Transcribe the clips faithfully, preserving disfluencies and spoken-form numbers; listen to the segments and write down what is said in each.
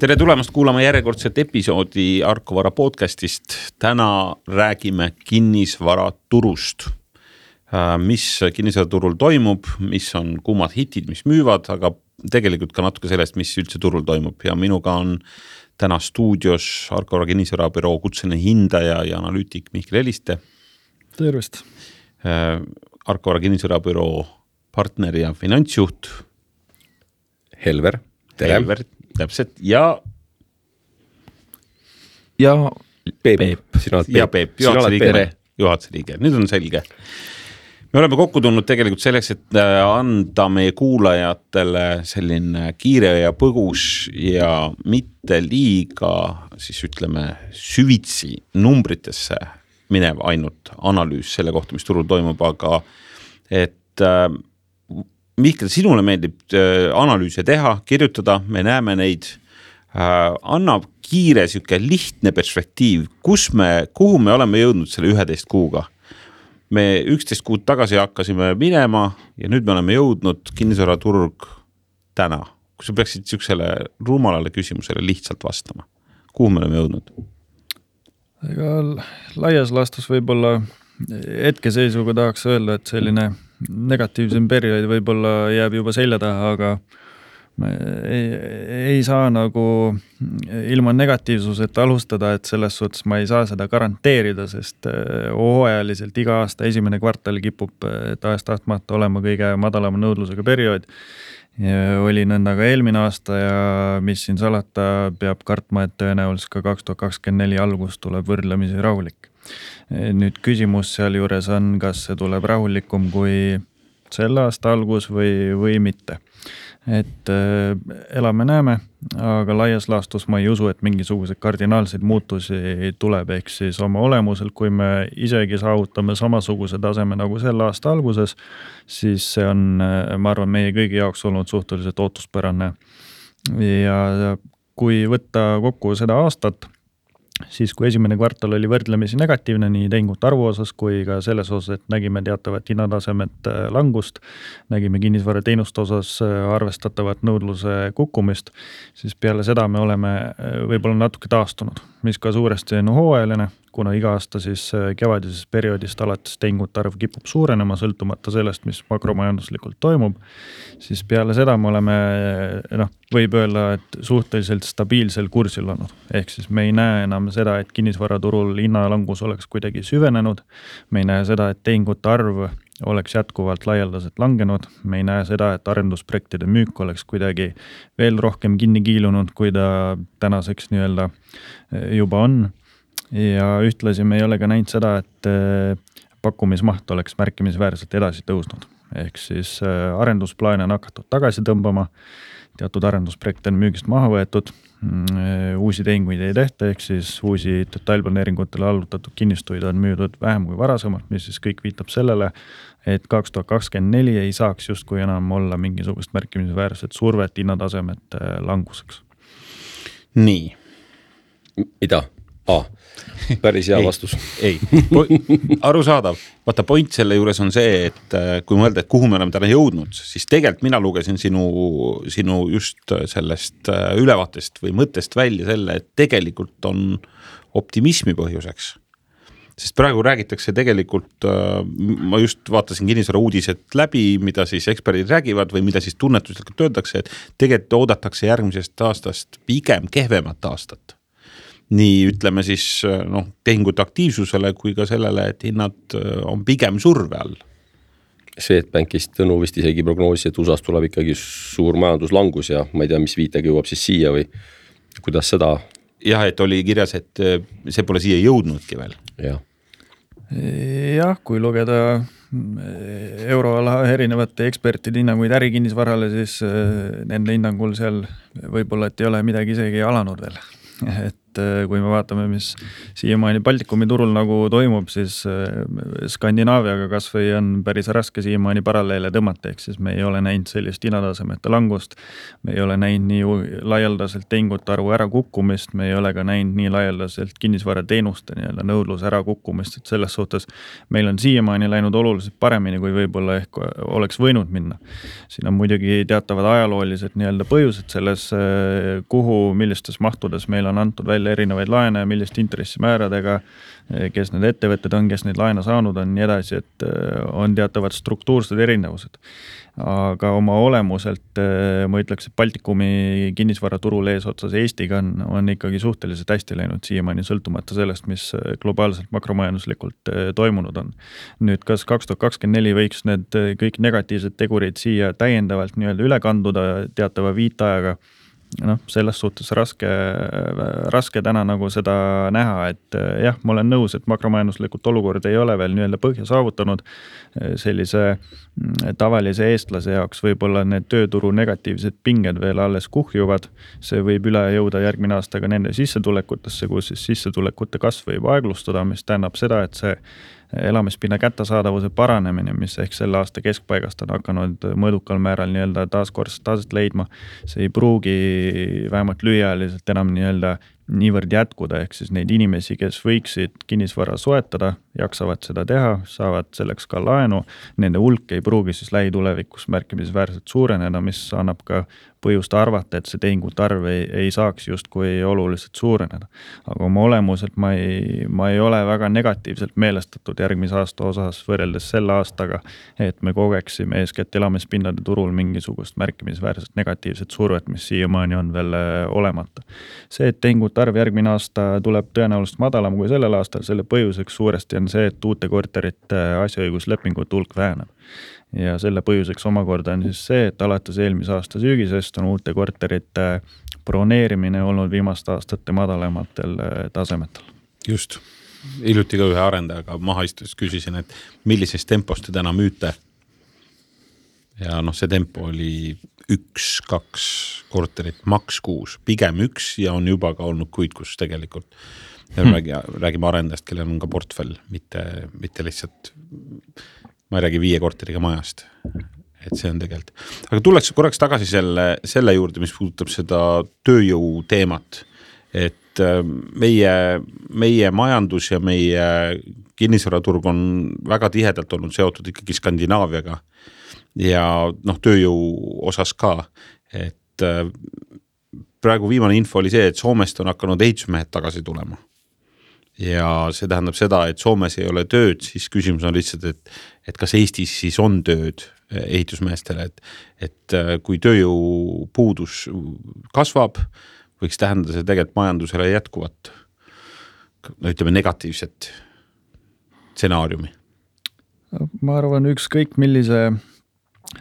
Tere tulemast kuulama järjekordset episoodi Arkovara podcastist. Täna räägime kinnisvaraturust. Mis kinnisvaraturul toimub, mis on kuumad hitid, mis müüvad, aga tegelikult ka natuke sellest, mis üldse turul toimub. Ja minuga on täna stuudios Arkovara kinnisvarabüroo kutseline hindaja ja analüütik Mihkel Eliste. Tervist. Arkovara kinnisvarabüroo partner ja finantsjuht Helver. Tere. Helver, täpselt. Ja ja Peep. Peep. Sina oled Peep. Ja Peep, juhatuse liige. Juhatuse liige. Nüüd on selge. Me oleme kokku tulnud tegelikult selleks, et anda meie kuulajatele selline kiire ja põgus ja mitte liiga, siis ütleme, süvitsi numbritesse minev ainult analüüs selle kohta, mis turul toimub, aga et Mihkel, sinule meeldib analüüse teha, kirjutada, me näeme neid, annab kiire siuke lihtne perspektiiv, kus me, kuhu me oleme jõudnud selle üheteist kuuga. Me üksteist kuud tagasi hakkasime minema ja nüüd me oleme jõudnud kinnisvaraturg täna. Kui sa peaksid siuksele rumalale küsimusele lihtsalt vastama, kuhu me oleme jõudnud? Ega laias laastus võib-olla hetkeseisuga tahaks öelda, et selline negatiivsem periood võib-olla jääb juba selja taha, aga ei, ei saa nagu ilma negatiivsuseta alustada, et selles suhtes ma ei saa seda garanteerida, sest hooajaliselt iga aasta esimene kvartal kipub tahes-tahtmata olema kõige madalama nõudlusega periood. Ja oli nõnda ka eelmine aasta ja mis siin salata peab kartma, et tõenäoliselt ka kaks tuhat kakskümmend neli algus tuleb võrdlemisi rahulik. Nüüd küsimus seal juures on, kas see tuleb rahulikum kui selle aasta algus või, või mitte. Et äh, elame näeme, aga laias laastus ma ei usu, et mingisugused kardinaalseid muutusi tuleb, ehk siis oma olemusel, kui me isegi saavutame samasuguse taseme nagu selle aasta alguses, siis see on, ma arvan, meie kõigi jaoks olnud suhteliselt ootuspärane. Ja kui võtta kokku seda aastat, siis kui esimene kvartal oli võrdlemisi negatiivne nii tehingut arvu osas kui ka selles osas, et nägime teatavat hinnatasemet langust, nägime kinnisvara teenuste osas arvestatavat nõudluse kukkumist, siis peale seda me oleme võib-olla natuke taastunud, mis ka suuresti on hooajaline, kuna iga aasta siis kevadises perioodist alates tehingut arv kipub suurenema, sõltumata sellest, mis makromajanduslikult toimub, siis peale seda me oleme, noh, võib öelda, et suhteliselt stabiilsel kursil olnud. Ehk siis me ei näe enam seda, et kinnisvaraturul hinnalangus oleks kuidagi süvenenud, me ei näe seda, et tehingute arv oleks jätkuvalt laialdaselt langenud, me ei näe seda, et arendusprojektide müük oleks kuidagi veel rohkem kinni kiilunud, kui ta tänaseks nii-öelda juba on. Ja ühtlasi me ei ole ka näinud seda, et pakkumismaht oleks märkimisväärselt edasi tõusnud. Ehk siis arendusplaane on hakatud tagasi tõmbama, teatud arendusprojekte on müügist maha võetud, uusi tehinguid ei tehta, ehk siis uusi detailplaneeringutele allutatud kinnistuid on müüdud vähem kui varasemalt, mis siis kõik viitab sellele, et kaks tuhat kakskümmend neli ei saaks justkui enam olla mingisugust märkimisväärset survet hinnatasemet languseks. Nii. Mida? A. Päris hea vastus. Ei, ei. Arusaadav. Vaata, point selle juures on see, et kui mõelda, et kuhu me oleme täna jõudnud, siis tegelikult mina lugesin sinu, sinu just sellest ülevaatest või mõttest välja selle, et tegelikult on optimismi põhjuseks. Sest praegu räägitakse tegelikult, ma just vaatasin kinnisvara uudised läbi, mida siis eksperdid räägivad või mida siis tunnetuslikult öeldakse, et tegelikult oodatakse järgmisest aastast pigem kehvemat aastat. Nii ütleme siis noh, tehingute aktiivsusele kui ka sellele, et hinnad on pigem surve all. Swedbankist Tõnu vist isegi prognoosi, et U S A-s tuleb ikkagi suur majanduslangus ja ma ei tea, mis viitega jõuab siis siia või kuidas seda... Jah, et oli kirjas, et see pole siia jõudnudki veel. Jah. Jah, kui lugeda euroala erinevate ekspertide hinnanguid ärikinnisvarale, siis nende hinnangul seal võib-olla, et ei ole midagi isegi alanud veel. Et et kui me vaatame, mis siiamaani Baltikumi turul nagu toimub, siis Skandinaaviaga kas või on päris raske siiamaani paralleele tõmmata, ehk siis me ei ole näinud sellist hinnatasemete langust, me ei ole näinud nii laialdaselt tehingute arvu ära kukkumist, me ei ole ka näinud nii laialdaselt kinnisvarateenuste nii-öelda nõudluse ära kukkumist, et selles suhtes meil on siiamaani läinud oluliselt paremini, kui võib-olla ehk oleks võinud minna. Siin on muidugi teatavad ajaloolised nii-öelda põhjused selles, kuhu, millistes mahtudes meil on antud välja erinevaid laene, millist intressimääradega, kes need ettevõtted on, kes neid laene saanud on, nii edasi, et on teatavad struktuursed erinevused. Aga oma olemuselt ma ütleks, et Baltikumi kinnisvaraturul eesotsas Eestiga on, on ikkagi suhteliselt hästi läinud siiamaani sõltumata sellest, mis globaalselt makromajanduslikult toimunud on. Nüüd, kas kaks tuhat kakskümmend neli võiks need kõik negatiivsed tegurid siia täiendavalt nii-öelda üle kanduda teatava viitajaga? noh, selles suhtes raske, raske täna nagu seda näha, et jah, ma olen nõus, et makromajanduslikult olukord ei ole veel nii-öelda põhja saavutanud sellise tavalise eestlase jaoks, võib-olla need tööturu negatiivsed pinged veel alles kuhjuvad, see võib üle jõuda järgmine aasta ka nende sissetulekutesse, kus siis sissetulekute kasv võib aeglustada, mis tähendab seda, et see elamispinna kättesaadavuse paranemine, mis ehk selle aasta keskpaigast on hakanud mõõdukal määral nii-öelda taaskord taset leidma, see ei pruugi vähemalt lühiajaliselt enam nii-öelda niivõrd jätkuda, ehk siis neid inimesi, kes võiksid kinnisvara soetada, jaksavad seda teha, saavad selleks ka laenu, nende hulk ei pruugi siis lähitulevikus märkimisväärselt suureneda, mis annab ka põhjust arvata, et see tehingute arv ei, ei saaks justkui oluliselt suureneda. Aga oma olemuselt ma ei, ma ei ole väga negatiivselt meelestatud järgmise aasta osas võrreldes selle aastaga, et me kogeksime eeskätt elamispinnade turul mingisugust märkimisväärselt negatiivset survet, mis siiamaani on veel olemata. See, et tehingute arv järgmine aasta tuleb tõenäoliselt madalam kui sellel aastal, selle põhjuseks suuresti on see, et uute korterite asjaõiguslepingute hulk väheneb. Ja selle põhjuseks omakorda on siis see, et alates eelmise aasta sügisest on uute korterite broneerimine olnud viimaste aastate madalamatel tasemetel. Just. Hiljuti ka ühe arendajaga maha istus küsisin, et millises tempos te täna müüte. Ja noh, see tempo oli üks, kaks korterit, maks kuus, pigem üks ja on juba ka olnud kuid, kus tegelikult hmm. räägi, räägime arendajast, kellel on ka portfell, mitte, mitte lihtsalt, ma ei räägi viie korteriga majast, et see on tegelikult. Aga tulleks korraks tagasi selle, selle juurde, mis puudutab seda tööjõu teemat, et meie, meie majandus ja meie kinnisvaraturg on väga tihedalt olnud seotud ikkagi Skandinaaviaga ja noh, tööjõu osas ka, et praegu viimane info oli see, et Soomest on hakanud ehitusmehed tagasi tulema. Ja see tähendab seda, et Soomes ei ole tööd, siis küsimus on lihtsalt, et, et kas Eestis siis on tööd ehitusmeestele, et, et kui tööjõu puudus kasvab, võiks tähendada see tegelikult majandusele jätkuvat, no ütleme negatiivset stsenaariumi. Ma arvan, ükskõik millise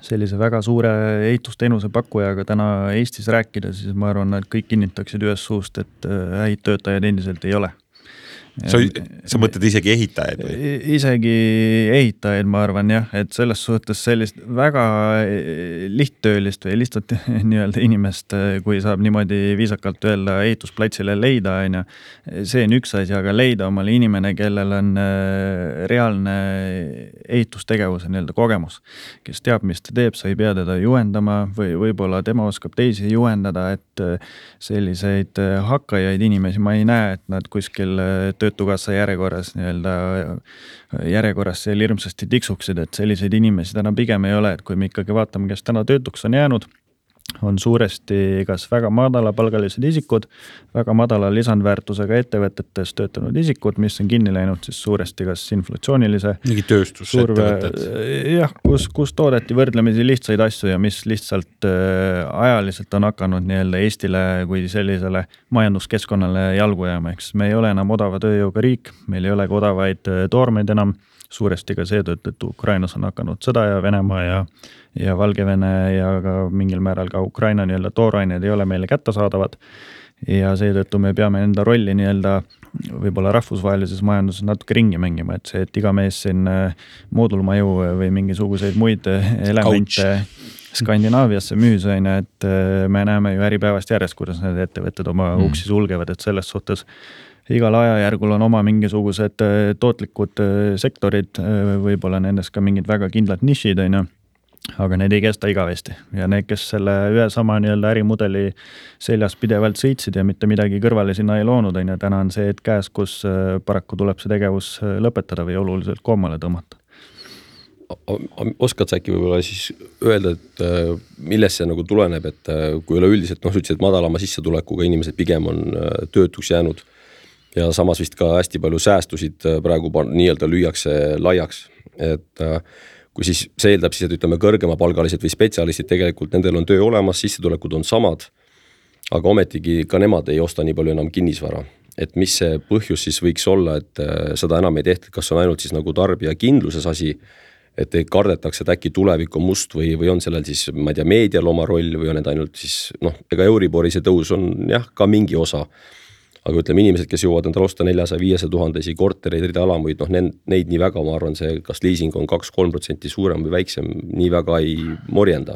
sellise väga suure ehitusteenuse pakkujaga täna Eestis rääkida, siis ma arvan, et kõik kinnitaksid ühes suust, et häid töötajaid endiselt ei ole. Sa, sa mõtled isegi ehitajaid või? Isegi ehitajaid, ma arvan jah, et selles suhtes sellist väga lihttöölist või lihtsalt nii-öelda inimest, kui saab niimoodi viisakalt öelda ehitusplatsile leida, on ja, see on üks asi, aga leida omale inimene, kellel on reaalne ehitustegevuse nii-öelda kogemus, kes teab, mis ta teeb, sa ei pea teda juhendama või võib-olla tema oskab teisi juhendada, et selliseid hakkajaid inimesi ma ei näe, et nad kuskil töötukassa järjekorras, nii-öelda järjekorras seal hirmsasti tiksuksid, et selliseid inimesi täna pigem ei ole, et kui me ikkagi vaatame, kes täna töötuks on jäänud, on suuresti kas väga madalapalgalised isikud, väga madala lisandväärtusega ettevõtetes töötanud isikud, mis on kinni läinud siis suuresti kas inflatsioonilise mingi tööstusettevõtted. Jah, kus, kus toodeti võrdlemisi lihtsaid asju ja mis lihtsalt ajaliselt on hakanud nii-öelda Eestile kui sellisele majanduskeskkonnale jalgu jääma, eks me ei ole enam odava tööjõuga riik, meil ei ole ka odavaid toormeid enam, suuresti ka seetõttu, et Ukrainas on hakanud sõda ja Venemaa ja, ja Valgevene ja ka mingil määral ka Ukraina nii-öelda toorained ei ole meile kättesaadavad ja seetõttu me peame enda rolli nii-öelda võib-olla rahvusvahelises majanduses natuke ringi mängima, et see, et iga mees siin moodulmaju või mingisuguseid muid elemente Ouch. Skandinaaviasse müüs, on, et me näeme ju äripäevast järjest, kuidas need ettevõtted oma mm. uksi sulgevad, et selles suhtes igal ajajärgul on oma mingisugused tootlikud sektorid, võib-olla nendes ka mingid väga kindlad nišid, on, aga need ei kesta igavesti ja need, kes selle ühe sama nii-öelda ärimudeli seljas pidevalt sõitsid ja mitte midagi kõrvale sinna ei loonud, on, ja täna on see, et käes, kus paraku tuleb see tegevus lõpetada või oluliselt koomale tõmmata. Oskad sa äkki võib-olla siis öelda, et millest see nagu tuleneb, et kui üleüldiselt, noh, ütlesid, et madalama sissetulekuga inimesed pigem on töötuks jäänud ja samas vist ka hästi palju säästusid praegu nii-öelda lüüakse laiaks, et kui siis see eeldab siis, et ütleme kõrgema palgalised või spetsialistid tegelikult, nendel on töö olemas, sissetulekud on samad, aga ometigi ka nemad ei osta nii palju enam kinnisvara. Et mis see põhjus siis võiks olla, et seda enam ei tehta, kas on ainult siis nagu tarbija kindluses asi, et ei kardetakse, et äkki tulevik on must või, või on sellel siis, ma ei tea, meedial oma roll või on need ainult siis, noh, ega Euribori see tõus on jah, ka mingi osa. Aga ütleme inimesed, kes jõuavad endale osta neljasaja viiesaja tuhandesi kortereid, ridalamuid, noh neid nii väga, ma arvan, see kas liising on kaks kolm protsenti suurem või väiksem, nii väga ei morjenda.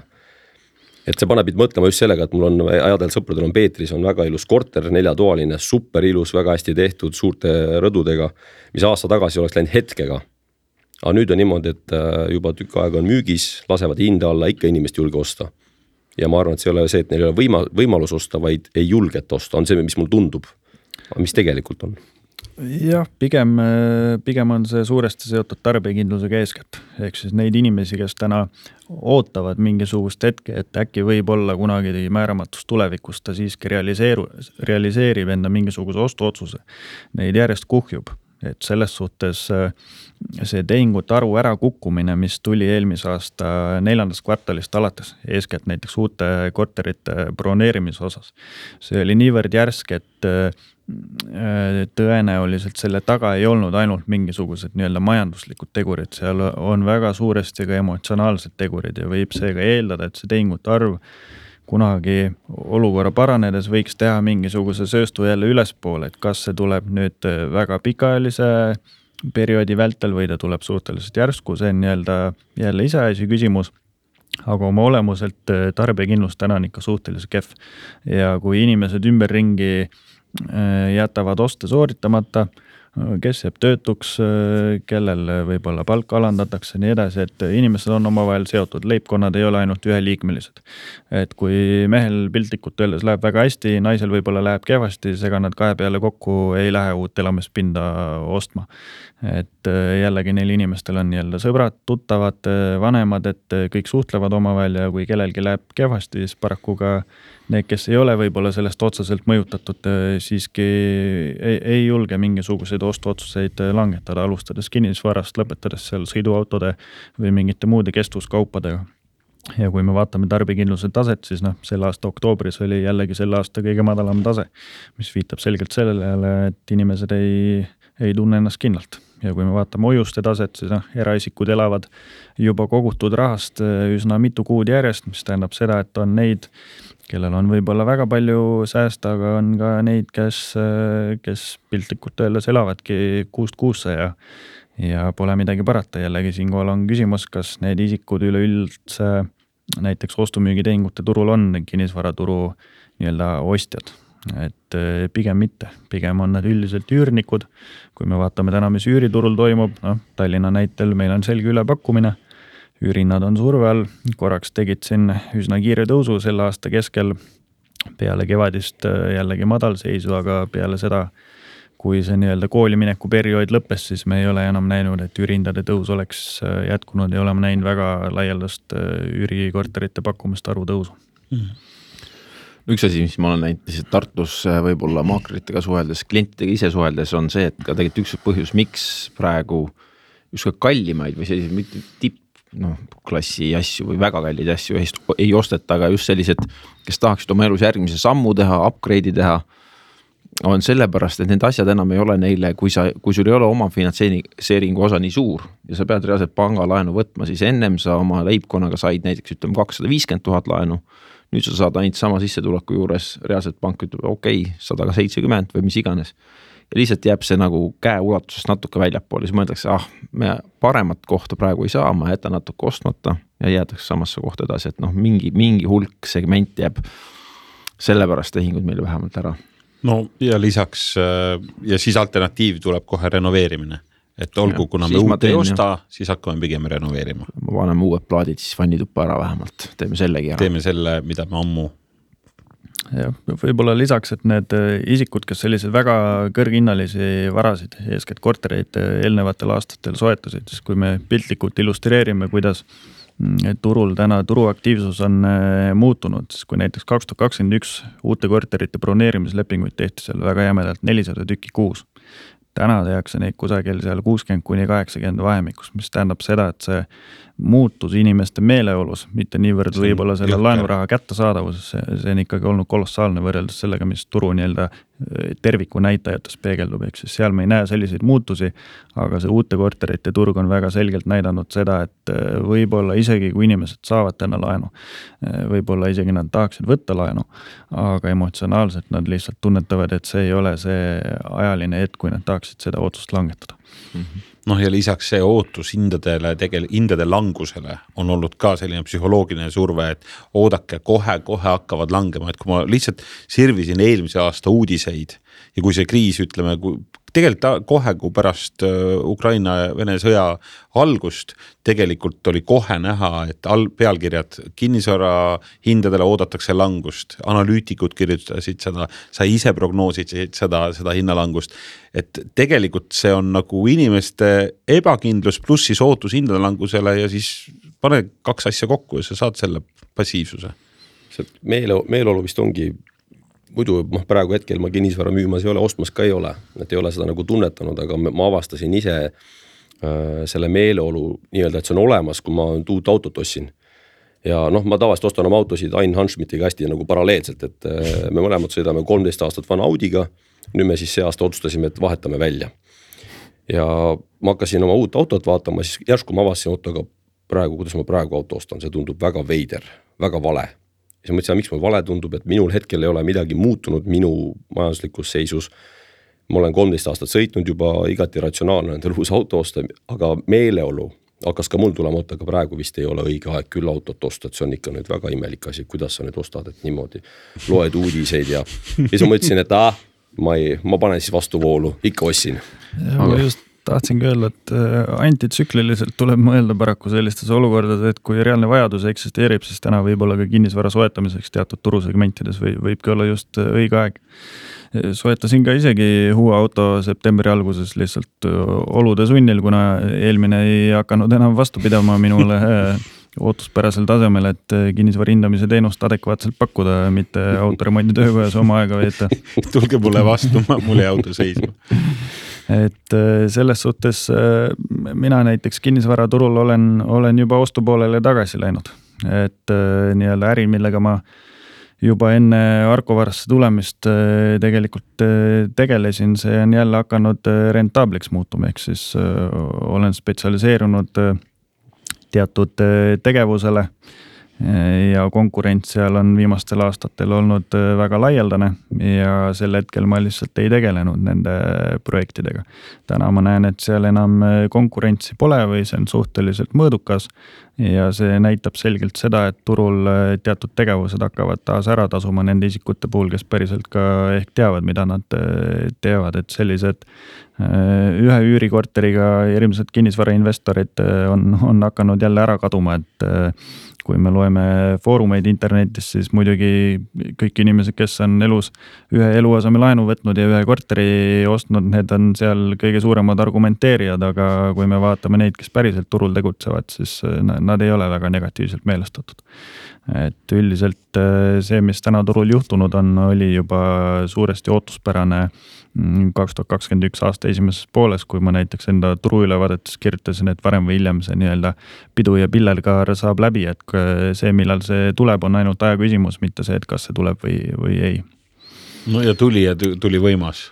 Et see paneb mõtlema just sellega, et mul on ajadel sõpradel on Peetris, on väga ilus korter, neljatoaline, super ilus, väga hästi tehtud, suurte rõdudega, mis aasta tagasi oleks läinud hetkega. Aga nüüd on niimoodi, et juba tükk aega on müügis, lasevad hinda alla, ikka inimest julge osta. Ja ma arvan, et see ei ole see, et neil ei ole võima, võimalus osta, vaid ei julget osta, on see, mis mul tundub. Mis tegelikult on? Jah, pigem, pigem on see suuresti seotud tarbijakindlusega eeskätt. Ehk siis neid inimesi, kes täna ootavad mingisugust hetke, et äkki võib olla kunagi määramatus tulevikus, ta siiski realiseeru, realiseerib enda mingisuguse ostuotsuse. Neid järjest kuhjub. Et selles suhtes see tehingute arvu ära kukkumine, mis tuli eelmise aasta neljandast kvartalist alates, eeskätt näiteks uute korterite broneerimise osas. See oli niivõrd järsk, et tõenäoliselt selle taga ei olnud ainult mingisugused nii-öelda majanduslikud tegurid, seal on väga suuresti ka emotsionaalsed tegurid ja võib seega eeldada, et see tehingute arv kunagi olukorra paranedes võiks teha mingisuguse sööstu jälle ülespoole, et kas see tuleb nüüd väga pikaajalise perioodi vältel või ta tuleb suhteliselt järsku, see on nii-öelda jälle iseasi küsimus, aga oma olemuselt tarbijakindlus täna on ikka suhteliselt kehv ja kui inimesed ümberringi jätavad oste sooritamata, kes jääb töötuks, kellel võib-olla palk alandatakse, nii edasi, et inimesed on omavahel seotud, leibkonnad ei ole ainult üheliikmelised. Et kui mehel piltlikult öeldes läheb väga hästi, naisel võib-olla läheb kehvasti, sega nad kahe peale kokku ei lähe uut elamispinda ostma. Et jällegi neil inimestel on jälle sõbrad, tuttavad, vanemad, et kõik suhtlevad omavahel ja kui kellelgi läheb kehvasti, siis paraku ka need, kes ei ole võib-olla sellest otseselt mõjutatud, siiski ei, ei julge mingisuguseid ostuotsuseid langetada, alustades kinnisvarast, lõpetades seal sõiduautode või mingite muude kestvuskaupadega. Ja kui me vaatame tarbijakindluse taset, siis noh, selle aasta oktoobris oli jällegi selle aasta kõige madalam tase, mis viitab selgelt sellele, et inimesed ei, ei tunne ennast kindlalt. Ja kui me vaatame hoiuste taset, siis noh, eraisikud elavad juba kogutud rahast üsna mitu kuud järjest, mis tähendab seda, et on neid, kellel on võib-olla väga palju säästa, aga on ka neid, kes, kes piltlikult öeldes elavadki kuust kuusse ja, ja pole midagi parata. Jällegi siinkohal on küsimus, kas need isikud üleüldse näiteks ostumüügitehingute turul on kinnisvaraturu nii-öelda ostjad. Et pigem mitte, pigem on nad üldiselt üürnikud. Kui me vaatame täna, mis üüriturul toimub, no, Tallinna näitel meil on selge ülepakkumine, üürinnad on surve all, korraks tegid siin üsna kiire tõusu selle aasta keskel, peale kevadist jällegi madalseisu, aga peale seda, kui see nii-öelda koolimineku periood lõppes, siis me ei ole enam näinud, et üürindade tõus oleks jätkunud ja oleme näinud väga laialdast üürikorterite pakkumist arvu tõusu. Mm-hmm. Üks asi, mis ma olen näinud, et Tartus võib-olla maakritega suheldes, klientidega ise suheldes on see, et ka tegelikult üks põhjus, miks praegu just ka kallimaid või sellised mitte tipp, noh, klassi asju või väga kallid asju ei osteta, aga just sellised, kes tahaksid oma elus järgmise sammu teha, upgrade'i teha, on sellepärast, et need asjad enam ei ole neile, kui, sa, kui sul ei ole oma finantseeringu osa nii suur ja sa pead reaalselt pangalaenu võtma, siis ennem sa oma leibkonnaga said näiteks ütleme kakssada viiskümmend tuhat laenu, nüüd sa saad ainult sama sissetuleku juures, reaalselt pank ütleb okei, sada seitsekümmend või mis iganes. ja lihtsalt jääb see nagu käe ulatusest natuke väljapoole, siis mõeldakse, ah, me paremat kohta praegu ei saa, ma jätan natuke ostmata ja jäädakse samasse kohta edasi, et noh, mingi, mingi hulk segment jääb sellepärast tehingud meile vähemalt ära. No ja lisaks ja siis alternatiiv tuleb kohe renoveerimine. Et olgu, ja, kuna me uut ei osta, ja. Siis hakkame pigem renoveerima. Ma paneme uued plaadid siis vannituppa ära vähemalt, teeme sellegi ära. Teeme selle, mida me ammu. Ja võib-olla lisaks, et need isikud, kes sellised väga kõrginnalisi varasid, eeskätt kortereid eelnevatel aastatel soetasid, siis kui me piltlikult illustreerime, kuidas turul täna turuaktiivsus on muutunud, siis kui näiteks kaks tuhat kakskümmend üks uute korterite broneerimislepinguid tehti seal väga jämedalt nelisada tükki kuus. Täna tehakse neid kusagil seal kuuskümmend kuni kaheksakümmend vahemikus, mis tähendab seda, et see muutus inimeste meeleolus, mitte niivõrd võib-olla selle laenuraha kättesaadavuses, see, see on ikkagi olnud kolossaalne võrreldes sellega, mis turu nii-öelda terviku näitajates peegeldub, ehk siis seal me ei näe selliseid muutusi, aga see uute korterite turg on väga selgelt näidanud seda, et võib-olla isegi kui inimesed saavad täna laenu, võib-olla isegi nad tahaksid võtta laenu, aga emotsionaalselt nad lihtsalt tunnetavad, et see ei ole see ajaline hetk, kui nad tahaksid seda otsust langetada. Mm-hmm. Noh ja lisaks see ootus hindadele, tegel, hindade langusele on olnud ka selline psühholoogiline surve, et oodake kohe, kohe hakkavad langema, et kui ma lihtsalt sirvisin eelmise aasta uudiseid ja kui see kriis, ütleme, kui, tegelikult kohe, kui pärast Ukraina ja Vene sõja algust, tegelikult oli kohe näha, et all, pealkirjad kinnisvara hindadele oodatakse langust, analüütikud kirjutasid seda, sa ise prognoosid seda, seda hinnalangust, et tegelikult see on nagu inimeste ebakindlus pluss siis ootus hindade langusele ja siis pane kaks asja kokku ja sa saad selle passiivsuse. See meele, meeleolu vist ongi muidu noh, praegu hetkel ma kinnisvara müümas ei ole, ostmas ka ei ole, et ei ole seda nagu tunnetanud, aga ma avastasin ise äh, selle meeleolu nii-öelda, et see on olemas, kui ma uut autot ossin. Ja noh, ma tavaliselt ostan oma autosid Ain Hanschmidtiga hästi nagu paralleelselt, et äh, me mõlemad sõidame kolmteist aastat vana Audiga, nüüd me siis see aasta otsustasime, et vahetame välja. Ja ma hakkasin oma uut autot vaatama, siis järsku ma avastasin autoga praegu, kuidas ma praegu auto ostan, see tundub väga veider, väga vale. Ja ma mõtlesin, miks mul vale tundub, et minul hetkel ei ole midagi muutunud minu majanduslikus seisus. Ma olen kolmteist aastat sõitnud juba igati ratsionaalne endal uus auto osta, aga meeleolu hakkas ka mul tulema, aga praegu vist ei ole õige aeg küll autot osta, et see on ikka nüüd väga imelik asi, kuidas sa nüüd ostad, et niimoodi loed uudiseid ja siis ma mõtlesin, et ah, ma, ei, ma panen siis vastu voolu, ikka ossin. Ja, aga just tahtsingi öelda, et antitsükliliselt tuleb mõelda paraku sellistes olukordades, et kui reaalne vajadus eksisteerib, siis täna võib-olla ka kinnisvara soetamiseks teatud turusegmentides või, võibki olla just õige aeg. Soetasin ka isegi uue auto septembri alguses lihtsalt olude sunnil, kuna eelmine ei hakanud enam vastu pidama minule ootuspärasel tasemel, et kinnisvara hindamise teenust adekvaatselt pakkuda, mitte autoremondi töökojas oma aega veeta. Tulge mulle vastu, mul ei auto seisma. Et selles suhtes mina näiteks kinnisvaraturul olen, olen juba ostupoolele tagasi läinud. Et nii-öelda äri, millega ma juba enne Arkovarasse tulemist tegelikult tegelesin, see on jälle hakanud rentaabliks muutuma, ehk siis olen spetsialiseerunud teatud tegevusele ja konkurents seal on viimastel aastatel olnud väga laialdane ja sel hetkel ma lihtsalt ei tegelenud nende projektidega. Täna ma näen, et seal enam konkurentsi pole või see on suhteliselt mõõdukas ja see näitab selgelt seda, et turul teatud tegevused hakkavad taas ära tasuma nende isikute puhul, kes päriselt ka ehk teavad, mida nad teevad, et sellised ühe üürikorteriga hirmsad kinnisvarainvestorid on, on hakanud jälle ära kaduma, et kui me loeme foorumeid internetis, siis muidugi kõik inimesed, kes on elus ühe eluaseme laenu võtnud ja ühe korteri ostnud, need on seal kõige suuremad argumenteerijad, aga kui me vaatame neid, kes päriselt turul tegutsevad, siis nad ei ole väga negatiivselt meelestatud. Et üldiselt see, mis täna turul juhtunud on, oli juba suuresti ootuspärane kaks tuhat kakskümmend üks aasta esimeses pooles, kui ma näiteks enda turu ülevaadetes kirjutasin, et varem või hiljem see nii-öelda pidu ja pillerkaar saab läbi, et see, millal see tuleb, on ainult aja küsimus, mitte see, et kas see tuleb või, või ei. No ja tuli ja tuli võimas.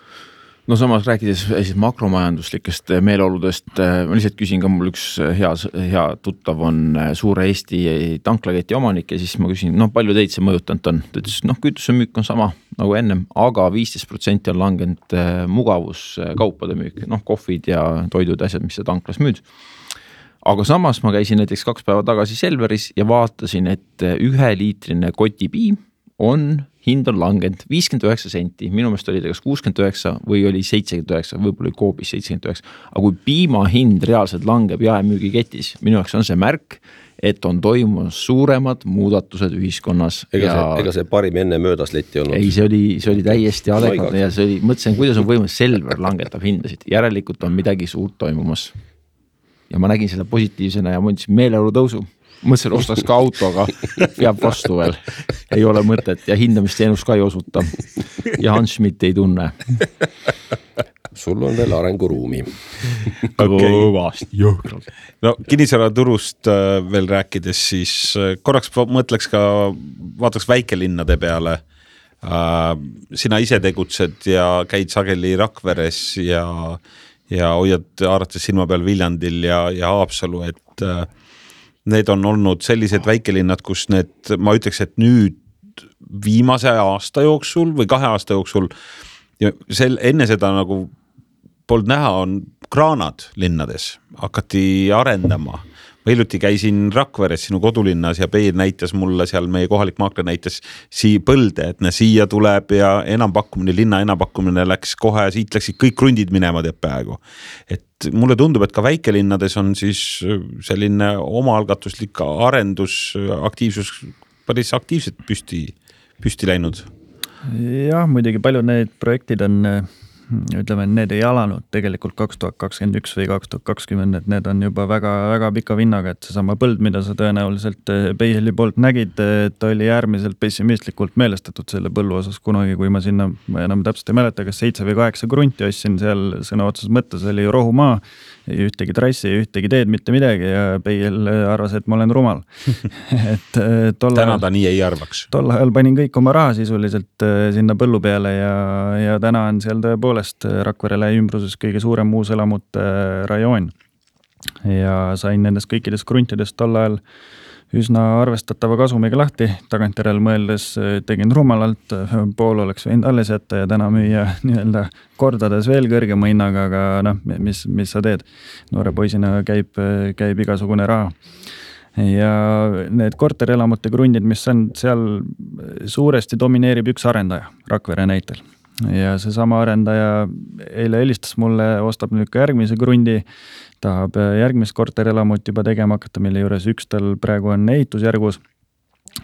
no samas rääkides siis makromajanduslikest meeleoludest, ma lihtsalt küsin ka, mul üks hea, hea tuttav on suure Eesti tanklaketi omanik ja siis ma küsin, noh palju teid see mõjutanud on, ta ütles, noh kütuse müük on sama nagu ennem, aga viisteist protsenti on langenud mugavuskaupade müük, noh kohvid ja toidud, asjad, mis sa tanklas müüd. Aga samas ma käisin näiteks kaks päeva tagasi Selveris ja vaatasin, et ühe liitrine kotipiim on, hind on langenud viiskümmend üheksa senti, minu meelest oli ta kas kuuskümmend üheksa või oli seitsekümmend üheksa, võib-olla oli Coopis seitsekümmend üheksa. Aga kui piima hind reaalselt langeb jaemüügiketis, minu jaoks on see märk, et on toimumas suuremad muudatused ühiskonnas. Ega, ja... see, ega see parim enne möödas letti olnud? Ei, see oli, see oli täiesti adekvaatne ja see oli, mõtlesin, kuidas on võimalik Selver langetab hindasid. Järelikult on midagi suurt toimumas. Ja ma nägin seda positiivsena ja mõtlesin meeleolu tõusu. Mõtlesin, ostaks ka auto, aga peab vastu veel. Ei ole mõtet ja hindamisteenus ka ei osuta. Ja Hans Schmidt ei tunne. Sul on veel arenguruumi. Kõvasti, jõhkralt. No kinnisvaraturust veel rääkides, siis korraks mõtleks ka, vaataks väikelinnade peale. Sina ise tegutsed ja käid sageli Rakveres ja ja hoiad haarates silma peal Viljandil ja, ja Haapsalu, et äh, need on olnud sellised väikelinnad, kus need, ma ütleks, et nüüd viimase aasta jooksul või kahe aasta jooksul ja sel, enne seda nagu polnud näha, on kraanad linnades, hakati arendama. Ma hiljuti käisin Rakveres, sinu kodulinnas ja Peir näitas mulle seal, meie kohalik maakler näitas sii põlde, et ne siia tuleb ja enampakkumine, linna enampakkumine läks kohe, siit läksid kõik krundid minema teeb päegu. Et mulle tundub, et ka väikelinnades on siis selline omaalgatuslik arendus, aktiivsus päris aktiivselt püsti, püsti läinud. Jah, muidugi palju need projektid on, ütleme, need ei alanud tegelikult kaks tuhat kakskümmend üks või kaks tuhat kakskümmend, et need on juba väga, väga pika vinnaga, et see sama põld, mida sa tõenäoliselt Peiheli poolt nägid, et oli äärmiselt pessimistlikult meelestatud selle põllu osas kunagi, kui ma sinna, ma enam täpselt ei mäleta, kas seitse või kaheksa krunti ostsin seal sõna otsas mõttes, oli rohumaa, ei ühtegi trassi, ei ühtegi teed, mitte midagi ja Peihel arvas, et ma olen rumal. et tolle täna ta nii ei arvaks. Tol ajal panin kõik oma raha sisuliselt sinna põllu peale ja, ja täna on seal tõepoolest Rakverele ümbruses kõige suurem uuselamute rajoon. Ja sain nendest kõikidest kruntidest tol ajal üsna arvestatava kasumiga lahti, tagantjärel mõeldes tegin rumalalt, pool oleks võinud alles jätta ja täna müüa nii-öelda kordades veel kõrgema hinnaga, aga noh, mis, mis sa teed? Noore poisina käib, käib igasugune raha. Ja need korterelamute krundid, mis on seal suuresti domineerib üks arendaja, Rakvere näitel. Ja see sama arendaja eile helistas mulle, ostab nüüd ka järgmise krundi, tahab järgmist korterelamut juba tegema hakata, mille juures üks tal praegu on ehitusjärgus.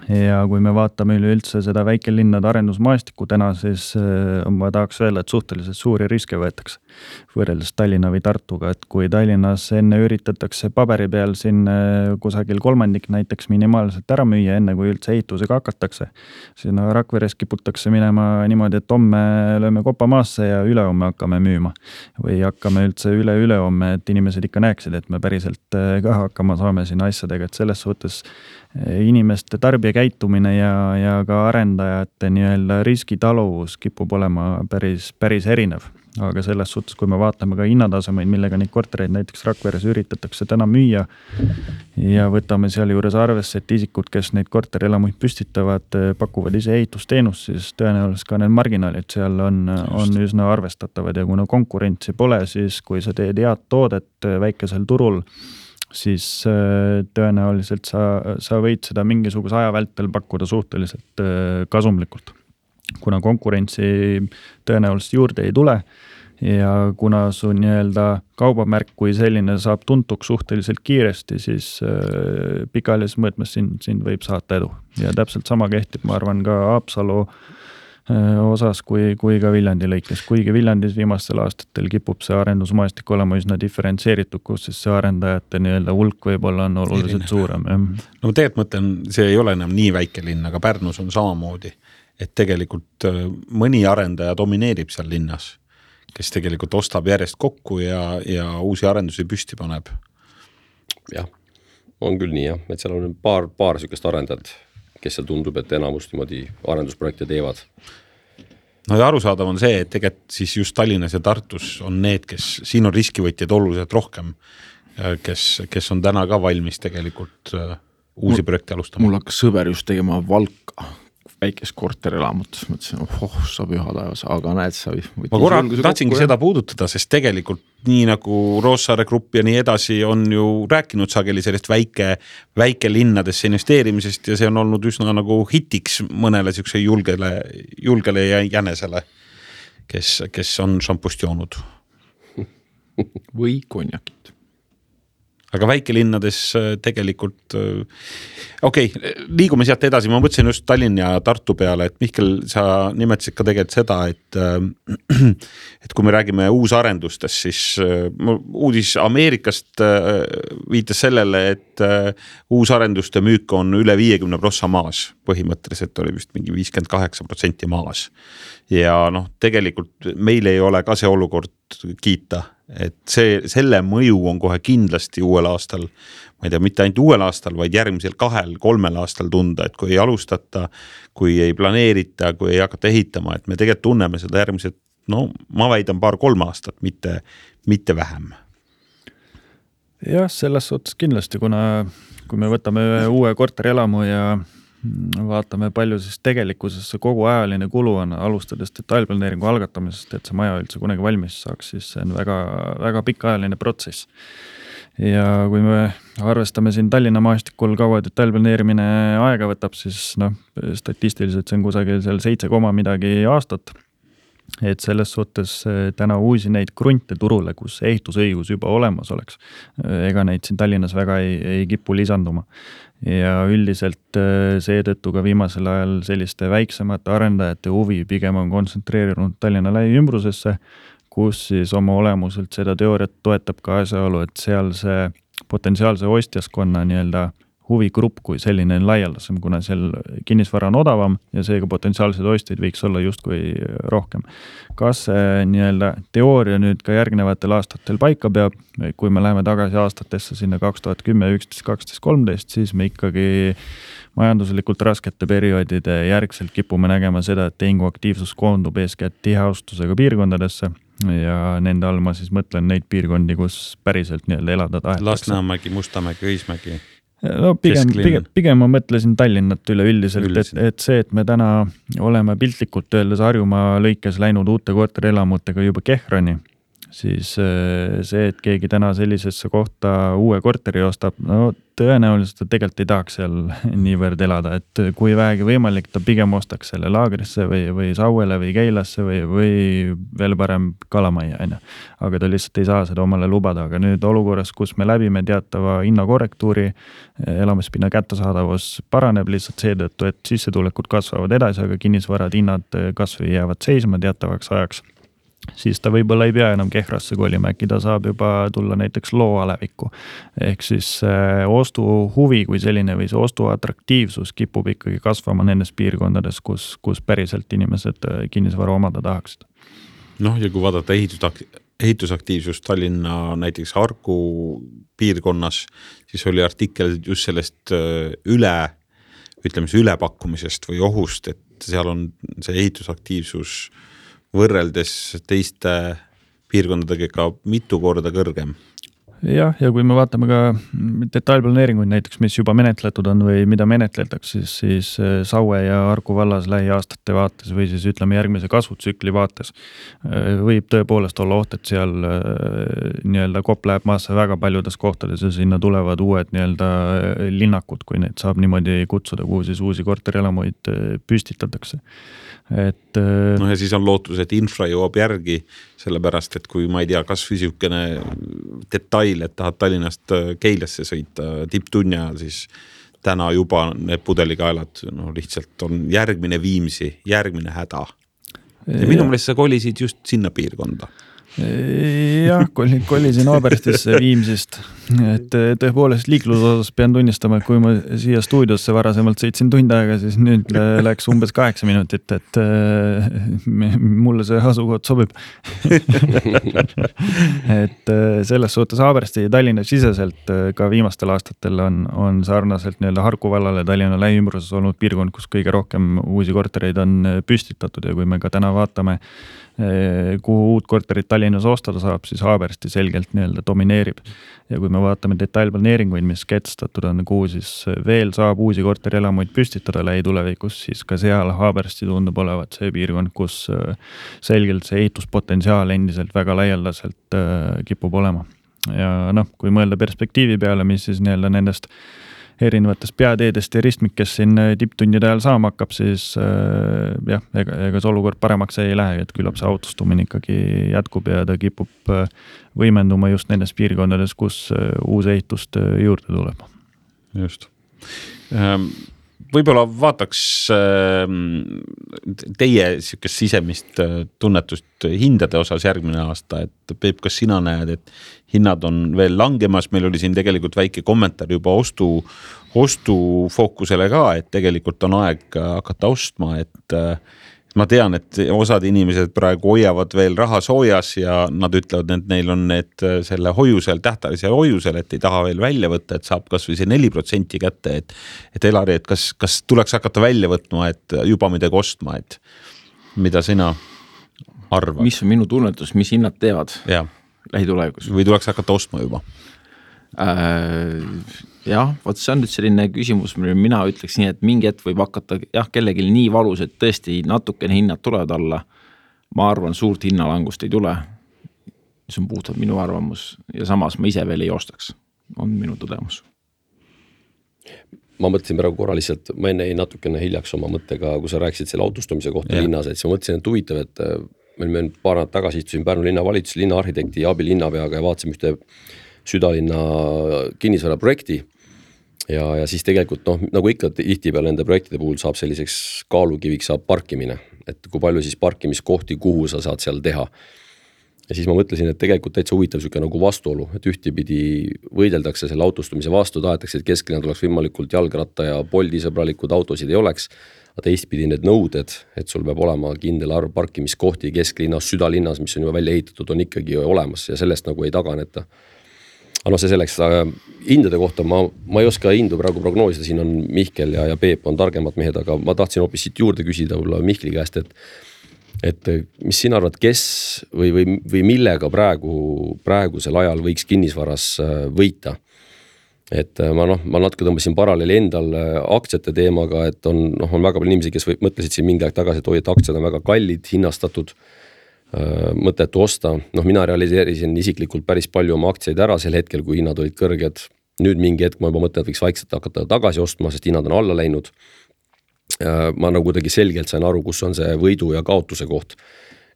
Ja kui me vaatame üleüldse seda väikelinnade arendusmaastikku täna, siis ma tahaks öelda, et suhteliselt suuri riske võetakse võrreldes Tallinna või Tartuga, et kui Tallinnas enne üritatakse paberi peal siin kusagil kolmandik näiteks minimaalselt ära müüa, enne kui üldse ehitusega hakatakse, siis no Rakveres kiputakse minema niimoodi, et homme lööme kopa maasse ja ülehomme hakkame müüma või hakkame üldse üle-ülehomme, et inimesed ikka näeksid, et me päriselt ka hakkama saame siin asjadega, et selles suhtes inimeste tarbija käitumine ja, ja ka arendajate nii-öelda riskitaluvus kipub olema päris, päris erinev. Aga selles suhtes, kui me vaatame ka hinnatasemeid, millega neid kortereid näiteks Rakveres üritatakse täna müüa ja võtame seal juures arvesse, et isikud, kes neid korterelamuid püstitavad, pakuvad ise ehitusteenust, siis tõenäoliselt ka need marginaalid seal on, on üsna arvestatavad ja kuna konkurentsi pole, siis kui sa teed head toodet väikesel turul, siis tõenäoliselt sa, sa võid seda mingisuguse aja vältel pakkuda suhteliselt kasumlikult. Kuna konkurentsi tõenäoliselt juurde ei tule ja kuna su nii-öelda kaubamärk kui selline saab tuntuks suhteliselt kiiresti, siis pikaajalises mõõtmes sind, sind võib saata edu. Ja täpselt sama kehtib, ma arvan, ka Haapsalu osas kui, kui ka Viljandi lõikes. Kuigi Viljandis viimastel aastatel kipub see arendusmaastik olema üsna diferentseeritud, kus siis see arendajate nii-öelda hulk võib-olla on oluliselt suurem. Ja. No tegelikult mõtlen, see ei ole enam nii väike linn, aga Pärnus on samamoodi, et tegelikult mõni arendaja domineerib seal linnas, kes tegelikult ostab järjest kokku ja, ja uusi arendusi püsti paneb. Jah, on küll nii jah, et seal on paar, paar sükest arendajat, kes seal tundub, et enamus niimoodi arendusprojekte teevad. no ja arusaadav on see, et tegelikult siis just Tallinnas ja Tartus on need, kes siin on riskivõtjaid oluliselt rohkem, kes, kes on täna ka valmis tegelikult uusi projekte alustama. Mul hakkas sõber just tegema Valka väikest korterelamut, mõtlesin, oh, sa püha taevas, aga näed, sa ma korra tahtsingi seda puudutada, sest tegelikult nii nagu Roossaare Grupp ja nii edasi on ju rääkinud sageli sellest väike, väike linnadesse investeerimisest ja see on olnud üsna nagu hitiks mõnele siukse julgele, julgele ja jänesele, kes, kes on šampust joonud. Või konjakit. Aga väikelinnades tegelikult, okei, okay, liigume sealt edasi, ma mõtlesin just Tallinn ja Tartu peale, et Mihkel, sa nimetasid ka tegelikult seda, et, et kui me räägime uusarendustest, siis uudis Ameerikast viitas sellele, et uusarenduste müük on üle viiekümne prossa maas, põhimõtteliselt oli vist mingi viiskümmend kaheksa protsenti maas. Ja noh, tegelikult meil ei ole ka see olukord kiita, et see, selle mõju on kohe kindlasti uuel aastal, ma ei tea, mitte ainult uuel aastal, vaid järgmisel kahel, kolmel aastal tunda, et kui ei alustata, kui ei planeerita, kui ei hakata ehitama, et me tegelikult tunneme seda järgmised, no ma väidan paar-kolm aastat, mitte, mitte vähem. Jah, selles suhtes kindlasti, kuna kui me võtame uue korterelamu ja vaatame palju siis tegelikkuses see kogu ajaline kulu on alustades detailplaneeringu algatamisest, et see maja üldse kunagi valmis saaks, siis see on väga, väga pikaajaline protsess. Ja kui me arvestame siin Tallinna maastikul kaua detailplaneerimine aega võtab, siis noh, statistiliselt see on kusagil seal seitse koma midagi aastat. Et selles suhtes täna uusi neid krunte turule, kus ehitusõigus juba olemas oleks. Ega neid siin Tallinnas väga ei, ei kipu lisanduma. Ja üldiselt seetõttu ka viimasel ajal selliste väiksemate arendajate huvi pigem on kontsentreerinud Tallinna lähiümbrusesse, kus siis oma olemuselt seda teooriat toetab ka asjaolu, et seal see potentsiaalse ostjaskonna nii-öelda huvigrupp kui selline on laialdasem, kuna seal kinnisvara on odavam ja seega potentsiaalsed ostjaid võiks olla justkui rohkem. Kas see nii-öelda teooria nüüd ka järgnevatel aastatel paika peab, kui me läheme tagasi aastatesse sinna kaks tuhat kümme, üksteist, kaksteist, kolmteist, siis me ikkagi majanduslikult raskete perioodide järgselt kipume nägema seda, et tehingu aktiivsus koondub eeskätt tiheaustusega piirkondadesse ja nende all ma siis mõtlen neid piirkondi, kus päriselt nii-öelda elada tahetakse. Lasnamägi, Mustamägi, Õismägi. No pigem, pigem, pigem ma mõtlesin Tallinnat üle üldiselt, et, et see, et me täna oleme piltlikult öeldes Harjumaa lõikes läinud uute korterelamutega juba Kehrani, siis see, et keegi täna sellisesse kohta uue korteri ostab, no tõenäoliselt ta tegelikult ei tahaks seal niivõrd elada, et kui vähegi võimalik, ta pigem ostaks selle laagrisse või, või Sauele või Keilasse või, või veel parem Kalamaia. Aga ta lihtsalt ei saa seda omale lubada, aga nüüd olukorras, kus me läbime teatava hinnakorrektuuri, elamispinna kättesaadavus paraneb lihtsalt seetõttu, et sissetulekud kasvavad edasi, aga kinnisvarad hinnad kasvõi jäävad seisma teatavaks ajaks. Siis ta võib-olla ei pea enam Kehrasse kolima, äkki ta saab juba tulla näiteks loo alevikku. Ehk siis ostu huvi kui selline või see ostu atraktiivsus kipub ikkagi kasvama nendes piirkondades, kus, kus päriselt inimesed kinnisvara omada tahaksid. Noh, ja kui vaadata ehitus, ehitusaktiivsust Tallinna näiteks Harku piirkonnas, siis oli artikkel just sellest üle, ütleme see ülepakkumisest või ohust, et seal on see ehitusaktiivsus võrreldes teiste piirkondadega ka mitu korda kõrgem. Jah, ja kui me vaatame ka detailplaneeringuid näiteks, mis juba menetletud on või mida menetletakse, siis, siis Saue ja Harku vallas lähiaastate vaates või siis ütleme järgmise kasvutsükli vaates võib tõepoolest olla oht, et seal nii-öelda kopp läheb maasse väga paljudes kohtades ja sinna tulevad uued nii-öelda linnakud, kui neid saab niimoodi kutsuda, kuhu siis uusi korterelamuid püstitatakse. Et, no ja siis on lootus, et infra jõuab järgi, sellepärast, et kui ma ei tea, kas füüsikene detail, et tahad Tallinnast Keilasse sõita tipptunni ajal, siis täna juba need pudelikaelad no, lihtsalt on järgmine Viimsi, järgmine häda. Ja minu meelest sa kolisid just sinna piirkonda. Jah, kolisin Oberstisse Viimsist et tõepoolest liikluse osas pean tunnistama, et kui ma siia stuudiosse varasemalt sõitsin tund aega, siis nüüd läks umbes kaheksa minutit, et mulle see asukoht sobib. et selles suhtes Haabersti Tallinna siseselt ka viimastel aastatel on, on sarnaselt nii-öelda Harku vallale Tallinna lähiümbruses olnud piirkond, kus kõige rohkem uusi kortereid on püstitatud ja kui me ka täna vaatame, kuhu uut korterit Tallinnas ostada saab, siis Haabersti selgelt nii-öelda domineerib. Ja kui me vaatame detailplaneeringuid, mis kehtestatud on, kuhu siis veel saab uusi korterielamuid püstitada lähitulevikus, siis ka seal Haabersti tundub olevat see piirkond, kus selgelt see ehituspotentsiaal endiselt väga laialdaselt kipub olema. Ja noh, kui mõelda perspektiivi peale, mis siis nii-öelda nendest erinevatest peateedest ja ristmikest siin tipptundide ajal saama hakkab, siis äh, jah, ega, ega see olukord paremaks ei lähe, et küllap see autostumine ikkagi jätkub ja ta kipub võimenduma just nendes piirkondades, kus uus ehitust juurde tuleb. Just. Võib-olla vaataks teie sihukest sisemist tunnetust hindade osas järgmine aasta, et Peep, kas sina näed, et hinnad on veel langemas, meil oli siin tegelikult väike kommentaar juba ostu, ostu fookusele ka, et tegelikult on aeg hakata ostma, et ma tean, et osad inimesed praegu hoiavad veel raha soojas ja nad ütlevad, et neil on need selle hoiusel, tähtajalisel hoiusel, et ei taha veel välja võtta, et saab kas või see neli protsenti kätte, et, et Elari, et kas, kas tuleks hakata välja võtma, et juba midagi ostma, et mida sina arvad? Mis on minu tunnetus, mis hinnad teevad ja. lähitulevikus? Või tuleks hakata ostma juba? Äh, jah, võt see on nüüd selline küsimus, mille mina ütleks nii, et mingi hetk võib hakata jah, kellelgi nii valus, et tõesti natukene hinnad tulevad alla. Ma arvan, suurt hinnalangust ei tule, mis on puhtalt minu arvamus ja samas ma ise veel ei ostaks, on minu tõdemus. Ma mõtlesin praegu korra lihtsalt, ma enne ei natukene hiljaks oma mõttega, kui sa rääkisid selle autostumise kohta ja. linnas, et siis ma mõtlesin, et huvitav, et meil me paar nädalat tagasi istusin Pärnu linnavalitsus, linnaarhitekti ja abilinnapeaga ja vaatasime ühte südalinna kinnisvara projekti ja, ja siis tegelikult noh, nagu ikka tihti peale nende projektide puhul saab selliseks kaalukiviks saab parkimine, et kui palju siis parkimiskohti, kuhu sa saad seal teha. Ja siis ma mõtlesin, et tegelikult täitsa huvitav süke nagu vastuolu, et ühtipidi võideldakse selle autostumise vastu, tahetakse, et kesklinna tuleks võimalikult jalgratta ja poldisõbralikud autosid ei oleks, aga teistpidi need nõuded, et sul peab olema kindel arv parkimiskohti kesklinnas, südalinnas, mis on juba välja ehitatud, on ikkagi olemas ja sellest nagu ei taganeta. Aga no see selleks, hindade kohta ma, ma ei oska hindu praegu prognoosida, siin on Mihkel ja, ja Peep on targemad mehed, aga ma tahtsin hoopis siit juurde küsida Mihkli käest, et, et mis sina arvad, kes või, või, või millega praegu, praegusel ajal võiks kinnisvaras võita? Et ma, noh, ma natuke tõmbasin paralleeli endal aktsiate teemaga, et on, noh, on väga palju inimesi, kes või, mõtlesid siin mingi aeg tagasi, et oi, et aktsiad on väga kallid, hinnastatud, mõttetu osta. Noh, mina realiseerisin isiklikult päris palju oma aktsiaid ära sel hetkel, kui hinnad olid kõrged. Nüüd mingi hetk ma juba mõtlen, et võiks vaikselt hakata tagasi ostma, sest hinnad on alla läinud. Ma nagu kuidagi selgelt sain aru, kus on see võidu ja kaotuse koht.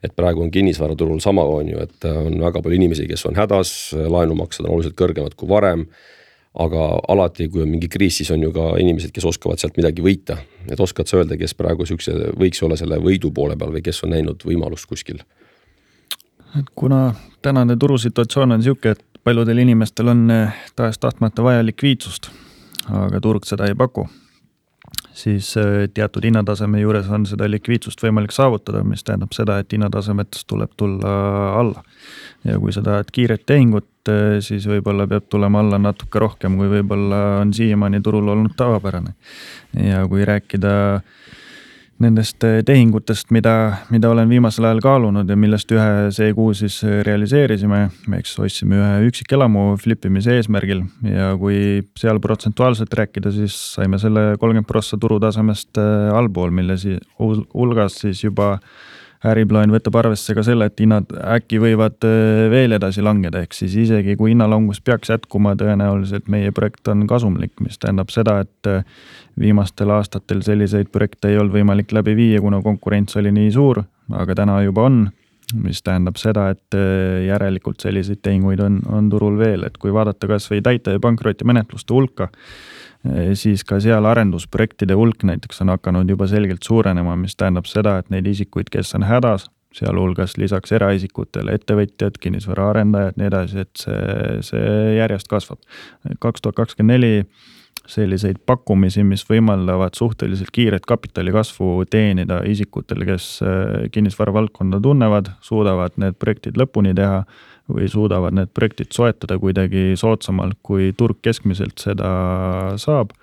Et praegu on kinnisvaraturul sama on ju, et on väga palju inimesi, kes on hädas, laenumaksed on oluliselt kõrgemad kui varem, aga alati, kui on mingi kriis, siis on ju ka inimesed, kes oskavad sealt midagi võita. Et oskad sa öelda, kes praegu sükse võiks olla selle võidu poole peal või kes on näinud võimalust kuskil? Et kuna tänane turusituatsioon on siuke, et paljudel inimestel on taas tahtmata vaja likviidsust, aga turg seda ei paku, siis teatud hinnataseme juures on seda likviidsust võimalik saavutada, mis tähendab seda, et hinnatasemetest tuleb tulla alla. Ja kui sa tahad kiiret tehingut, siis võib-olla peab tulema alla natuke rohkem, kui võib-olla on siiamaani turul olnud tavapärane. Ja kui rääkida nendest tehingutest, mida, mida olen viimasel ajal kaalunud ja millest ühe see kuu siis realiseerisime, me eks ostsime ühe üksikelamu flippimise eesmärgil ja kui seal protsentuaalselt rääkida, siis saime selle kolmkümmend prossa turutasemest allpool, mille siis hulgas siis juba äriplaan võtab arvesse ka selle, et hinnad äkki võivad veel edasi langeda, ehk siis isegi kui hinnalangus peaks jätkuma, tõenäoliselt meie projekt on kasumlik, mis tähendab seda, et viimastel aastatel selliseid projekte ei olnud võimalik läbi viia, kuna konkurents oli nii suur, aga täna juba on, mis tähendab seda, et järelikult selliseid tehinguid on, on turul veel, et kui vaadata kas või täite ja pankroti menetluste hulka, siis ka seal arendusprojektide hulk näiteks on hakanud juba selgelt suurenema, mis tähendab seda, et neid isikuid, kes on hädas, sealhulgas lisaks eraisikutele ettevõtjad, kinnisvara arendajad, nii edasi, et see, see järjest kasvab. kaks tuhat kakskümmend neli selliseid pakkumisi, mis võimaldavad suhteliselt kiiret kapitali kasvu teenida isikutele, kes kinnisvara valdkonda tunnevad, suudavad need projektid lõpuni teha või suudavad need projektid soetada kuidagi soodsamalt, kui turg keskmiselt seda saab,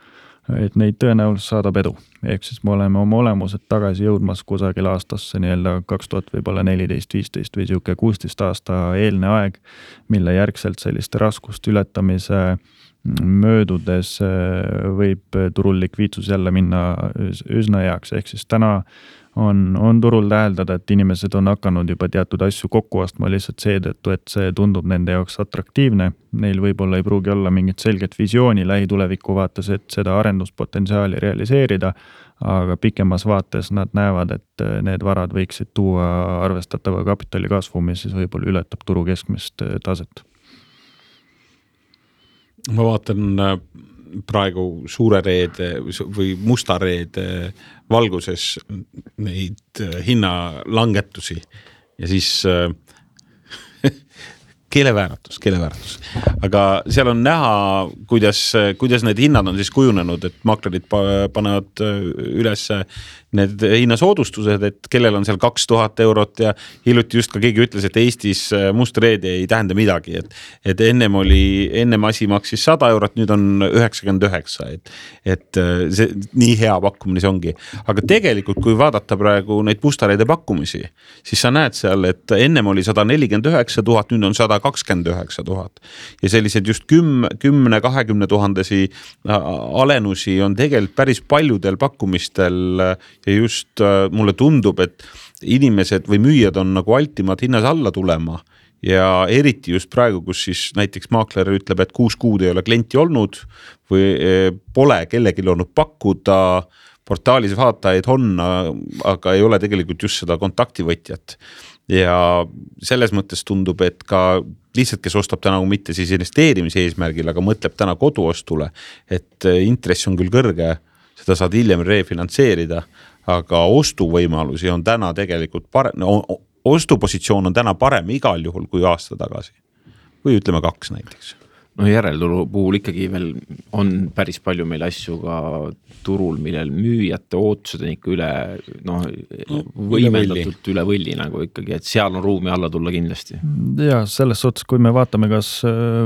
et neid tõenäoliselt saadab edu. Ehk siis me oleme oma olemused tagasi jõudmas kusagil aastasse nii-öelda kaks tuhat võib-olla neliteist, viisteist või siuke kuusteist aasta eelne aeg, mille järgselt selliste raskuste ületamise möödudes võib turul likviidsus jälle minna üsna heaks. Ehk siis täna on, on turul täheldada, et inimesed on hakanud juba teatud asju kokku ostma lihtsalt seetõttu, et see tundub nende jaoks atraktiivne. Neil võib-olla ei pruugi olla mingit selget visiooni lähituleviku vaates, et seda arenduspotentsiaali realiseerida, aga pikemas vaates nad näevad, et need varad võiksid tuua arvestatava kapitali kasvu, mis siis võib-olla ületab turu keskmist taset. Ma vaatan praegu suure reede või musta reede valguses neid hinnalangetusi ja siis keelevääratus, keelevääratus. Aga seal on näha, kuidas, kuidas need hinnad on siis kujunenud, et maklerid panevad üles need hinnasoodustused, et kellel on seal kaks tuhat eurot ja hiljuti just ka keegi ütles, et Eestis must reede ei tähenda midagi, et, et ennem oli, ennem asi maksis sada eurot, nüüd on üheksakümmend üheksa, et, et see nii hea pakkumine see ongi. Aga tegelikult, kui vaadata praegu neid musta reede pakkumisi, siis sa näed seal, et ennem oli sada nelikümmend üheksa tuhat, nüüd on sada kakskümmend üheksa tuhat ja sellised just kümne kahekümne tuhandesi alenusi on tegelikult päris paljudel pakkumistel ja just mulle tundub, et inimesed või müüjad on nagu altimad hinnas alla tulema ja eriti just praegu, kus siis näiteks maakler ütleb, et kuus kuud ei ole klienti olnud või pole kellelgi olnud pakkuda, portaalis vaatajaid on, aga ei ole tegelikult just seda kontaktivõtjat. Ja selles mõttes tundub, et ka lihtsalt, kes ostab täna mitte siis investeerimise eesmärgil, aga mõtleb täna koduostule, et intress on küll kõrge, seda saad hiljem refinantseerida, aga ostuvõimalusi on täna tegelikult parem, ostupositsioon on täna parem igal juhul kui aasta tagasi. Või ütleme kaks näiteks. No järeltulu puhul ikkagi veel on päris palju meil asju ka turul, millel müüjate ootused on ikka üle, no, no võimendatult üle võlli nagu ikkagi, et seal on ruumi alla tulla kindlasti. Ja selles suhtes, kui me vaatame kas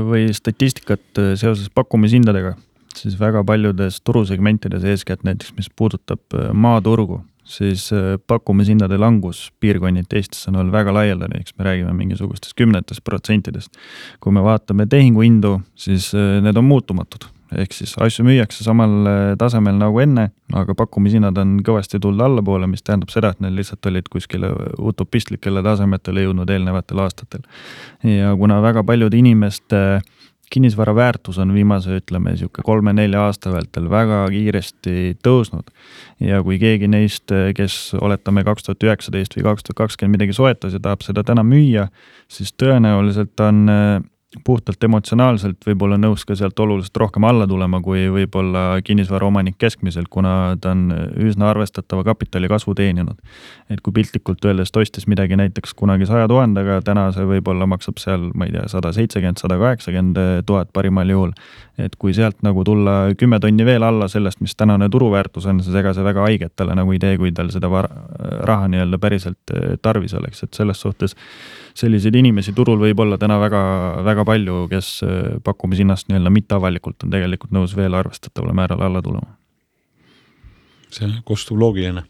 või statistikat seoses pakkumishindadega, siis väga paljudes turusegmentides eeskätt näiteks, mis puudutab maaturgu, siis pakkumishindade langus piirkonniti Eestis on olnud väga laialdane, eks me räägime mingisugustest kümnetest protsentidest. Kui me vaatame tehinguhindu, siis need on muutumatud. Ehk siis asju müüakse samal tasemel nagu enne, aga pakkumishinnad on kõvasti tulnud allapoole, mis tähendab seda, et need lihtsalt olid kuskile utopistlikele tasemetele jõudnud eelnevatel aastatel. Ja kuna väga paljud inimeste kinnisvara väärtus on viimase, ütleme, kolme-nelja aasta vältel väga kiiresti tõusnud. Ja kui keegi neist, kes oletame kaks tuhat üheksateist või kaks tuhat kakskümmend midagi soetas ja tahab seda täna müüa, siis tõenäoliselt on puhtalt emotsionaalselt võib-olla nõus ka sealt oluliselt rohkem alla tulema, kui võib-olla kinnisvara omanik keskmiselt, kuna ta on üsna arvestatava kapitali kasvu teeninud. Et kui piltlikult öeldes tostis midagi näiteks kunagi saja tuhandega, täna see võib-olla maksab seal, ma ei tea, sada seitsekümmend, sada kaheksakümmend tuhat parimal juhul. Et kui sealt nagu tulla kümme tonni veel alla sellest, mis tänane turuväärtus on, siis ega see väga haiget talle nagu idee, kui tal seda raha nii-öelda päriselt tarvis oleks. Et selles suhtes selliseid inimesi turul võib olla täna väga, väga palju, kes pakkumisinnast nii-öelda mitte avalikult on tegelikult nõus veel arvestatavale määral alla tulema. See kostub loogiline.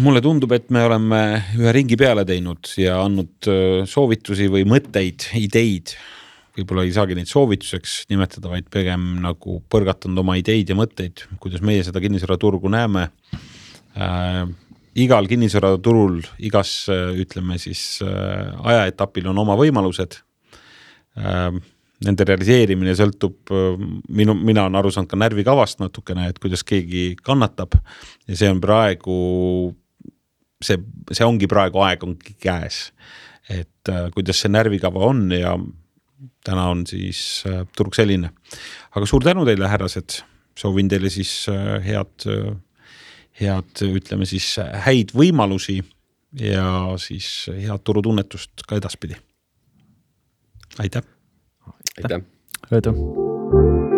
Mulle tundub, et me oleme ühe ringi peale teinud ja andnud soovitusi või mõtteid, ideid. Võib-olla ei saagi neid soovituseks nimetada, vaid pigem nagu põrgatanud oma ideid ja mõtteid, kuidas meie seda kinnisvaraturgu näeme. Äh, igal kinnisvaraturul, igas, ütleme siis, ajaetapil on oma võimalused. Äh, nende realiseerimine sõltub, minu, mina on aru saanud ka närvikavast natukene, et kuidas keegi kannatab ja see on praegu, see, see ongi praegu aeg ongi käes, et äh, kuidas see närvikava on ja täna on siis äh, turg selline. Aga suur tänu teile, härrased. Soovin teile siis äh, head, äh, head, ütleme siis häid võimalusi ja siis head turutunnetust ka edaspidi. Aitäh! Aitäh! Aitäh!